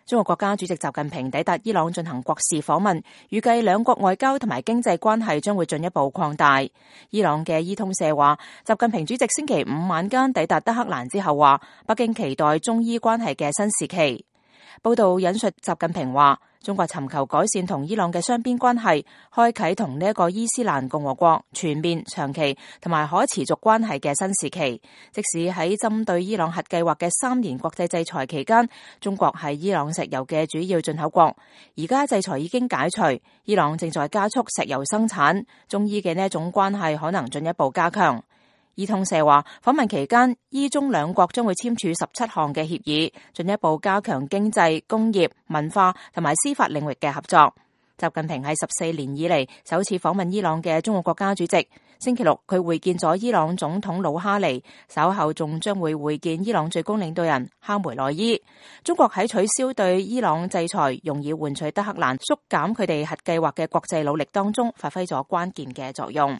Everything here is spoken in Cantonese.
中國國家主席習近平抵達伊朗進行國事訪問，預計兩國外交同埋經濟關係將會進一步擴大。伊朗嘅伊通社話，習近平主席星期五晚間抵達德黑蘭之後話，北京期待中伊關係嘅新時期。報道引述習近平話，中國尋求改善同伊朗嘅雙邊關係，開啟同呢一個伊斯蘭共和國全面、長期同埋可持續關係嘅新時期。即使喺針對伊朗核計劃嘅3年國際制裁期間，中國係伊朗石油嘅主要進口國，而家制裁已經解除，伊朗正在加速石油生產，中伊嘅呢一種關係可能進一步加強。伊通社話，訪問期間，伊中兩國將會簽署17項嘅協議，進一步加強經濟、工業、文化同埋司法領域嘅合作。習近平係14年以嚟首次訪問伊朗嘅中國國家主席。星期六，佢會見咗伊朗總統魯哈尼，稍後仲將會會見伊朗最高領導人哈梅內伊。中國喺取消對伊朗制裁，用以換取德黑蘭縮減佢哋核計劃嘅國際努力當中，發揮咗關鍵嘅作用。